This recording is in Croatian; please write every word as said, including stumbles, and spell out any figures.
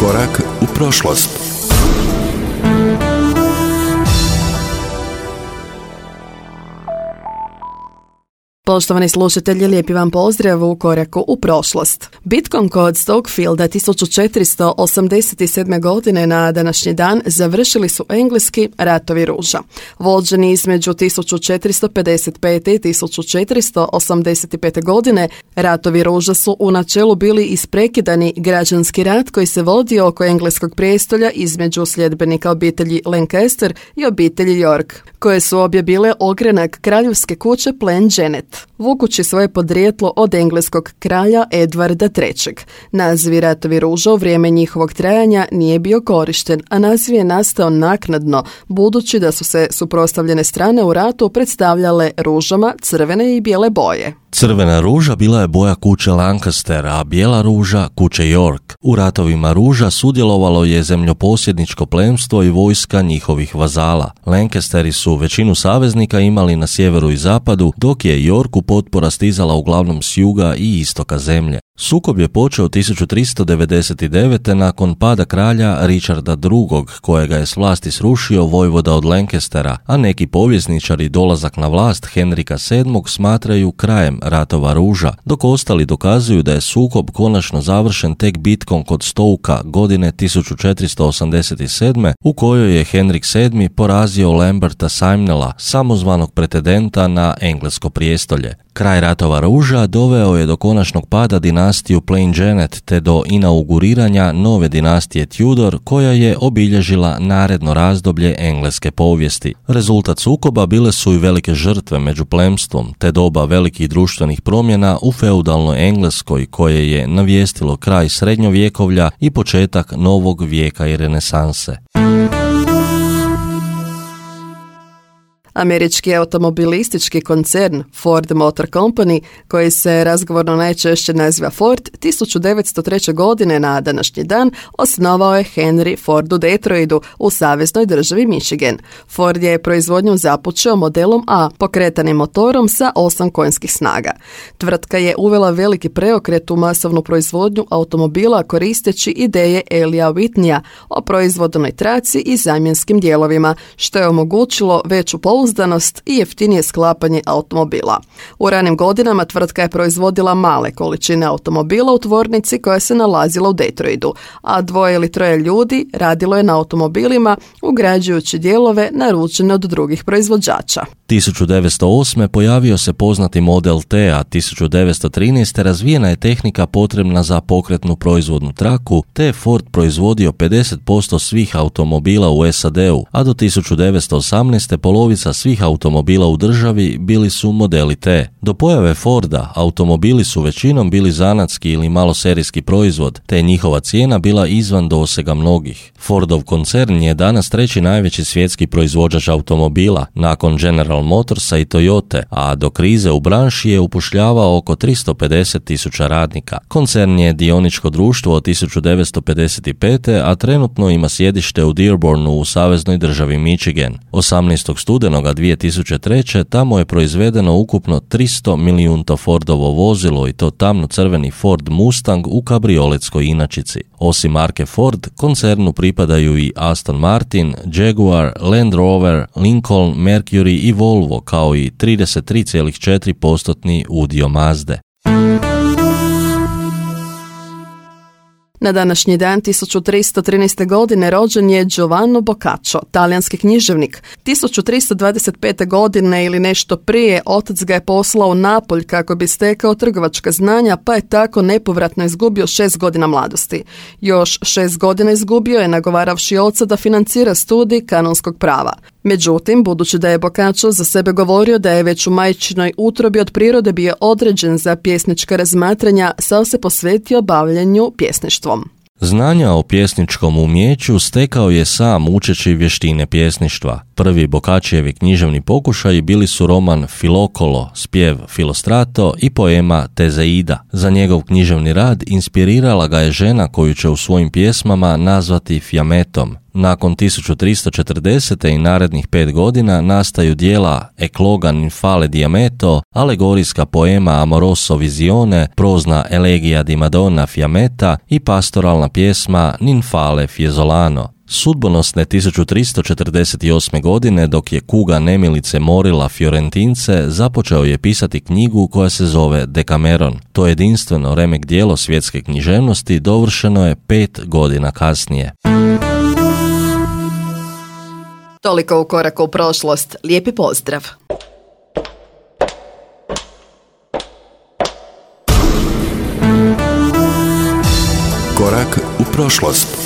Korak u prošlost. Poštovani slušatelji, lijepi vam pozdrav u Koraku u prošlost. Bitkom kod Stokefielda tisuću četiristo osamdeset sedme. godine na današnji dan završili su engleski ratovi ruža. Vođeni između tisuću četiristo pedeset pete. i tisuću četiristo osamdeset pete. godine, ratovi ruža su u načelu bili isprekidani građanski rat koji se vodio oko engleskog prijestolja između sljedbenika obitelji Lancaster i obitelji York, koje su obje bile ogranak kraljevske kuće Plantagenet, vukući svoje podrijetlo od engleskog kralja Edvarda trećeg. Naziv ratovi ruža u vrijeme njihovog trajanja nije bio korišten, a naziv je nastao naknadno, budući da su se suprotstavljene strane u ratu predstavljale ružama crvene i bijele boje. Crvena ruža bila je boja kuće Lancaster, a bijela ruža kuće York. U ratovima ruža sudjelovalo je zemljoposjedničko plemstvo i vojska njihovih vazala. Lancasteri su većinu saveznika imali na sjeveru i zapadu, dok je Yorku potpora stizala uglavnom s juga i istoka zemlje. Sukob je počeo tisuću tristo devedeset devete. nakon pada kralja Richarda drugog, kojega je s vlasti srušio vojvoda od Lancastera, a neki povjesničari dolazak na vlast Henrika sedmog smatraju krajem ratova ruža, dok ostali dokazuju da je sukob konačno završen tek bitkom kod Stokea godine tisuću četiristo osamdeset sedme. u kojoj je Henrik sedmi porazio Lamberta Simnela, samozvanog pretendenta na englesko prijestolje. Kraj ratova ruža doveo je do konačnog pada dinastiju Plantagenet te do inauguriranja nove dinastije Tudor, koja je obilježila naredno razdoblje engleske povijesti. Rezultat sukoba bile su i velike žrtve među plemstvom, te doba velikih društvenih promjena u feudalnoj Engleskoj, koje je navijestilo kraj srednjovjekovlja i početak novog vijeka i renesanse. Američki automobilistički koncern Ford Motor Company, koji se razgovorno najčešće naziva Ford, tisuću devetsto treće. godine na današnji dan osnovao je Henry Ford u Detroitu u saveznoj državi Michigan. Ford je proizvodnju započeo modelom A, pokretanim motorom sa osam konjskih snaga. Tvrtka je uvela veliki preokret u masovnu proizvodnju automobila koristeći ideje Elija Whitneya o proizvodnoj traci i zamjenskim dijelovima, što je omogućilo veću pouzdanost i jeftinije sklapanje automobila. U ranim godinama tvrtka je proizvodila male količine automobila u tvornici koja se nalazila u Detroitu, a dvoje ili troje ljudi radilo je na automobilima ugrađujući dijelove naručene od drugih proizvođača. tisuću devetsto osme. pojavio se poznati Model T, a tisuću devetsto trinaeste. razvijena je tehnika potrebna za pokretnu proizvodnu traku, te je Ford proizvodio pedeset posto svih automobila u S A D-u, a do tisuću devetsto osamnaeste. polovica svih automobila u državi bili su modeli T. Do pojave Forda, automobili su većinom bili zanatski ili maloserijski proizvod, te je njihova cijena bila izvan dosega mnogih. Fordov koncern je danas treći najveći svjetski proizvođač automobila, nakon General Motorsa i Toyote, a do krize u branši je upošljavao oko tristo pedeset tisuća radnika. Koncern je dioničko društvo od tisuću devetsto pedeset pete. a trenutno ima sjedište u Dearbornu u saveznoj državi Michigan. osamnaestog studenoga dvije tisuće treće. tamo je proizvedeno ukupno tristo milijunto Fordovo vozilo, i to tamno-crveni Ford Mustang u kabrioletskoj inačici. Osim marke Ford, koncernu pripadaju i Aston Martin, Jaguar, Land Rover, Lincoln, Mercury i Volvo, kao i trideset tri zarez četiri posto udio Mazde. Na današnji dan tisuću tristo trinaeste. godine rođen je Giovanni Boccaccio, talijanski književnik. tisuću tristo dvadeset pete. godine ili nešto prije otac ga je poslao u Napolj kako bi stekao trgovačka znanja, pa je tako nepovratno izgubio šest godina mladosti. Još šest godina izgubio je nagovaravši oca da financira studij kanonskog prava. Međutim, budući da je Boccaccio za sebe govorio da je već u majčinoj utrobi od prirode bio određen za pjesnička razmatranja, sad se posvetio bavljenju pjesništvom. Znanja o pjesničkom umijeću stekao je sam učeći vještine pjesništva. Prvi Boccaccijevi književni pokušaji bili su roman Filokolo, spjev Filostrato i poema Tezeida. Za njegov književni rad inspirirala ga je žena koju će u svojim pjesmama nazvati Fiametom. Nakon tisuću tristo četrdesete. i narednih pet godina nastaju dijela Ecloga ninfale di Ameto, alegorijska poema Amoroso Visione, prozna Elegija di Madonna Fiammetta i pastoralna pjesma Ninfale Fiessolano. Sudbonosne tisuću tristo četrdeset osme. godine, dok je kuga nemilice morila Fiorentince, započeo je pisati knjigu koja se zove Decameron. To jedinstveno remek djelo svjetske književnosti dovršeno je pet godina kasnije. Toliko u koraku u prošlost. Lijepi pozdrav! Korak u prošlost.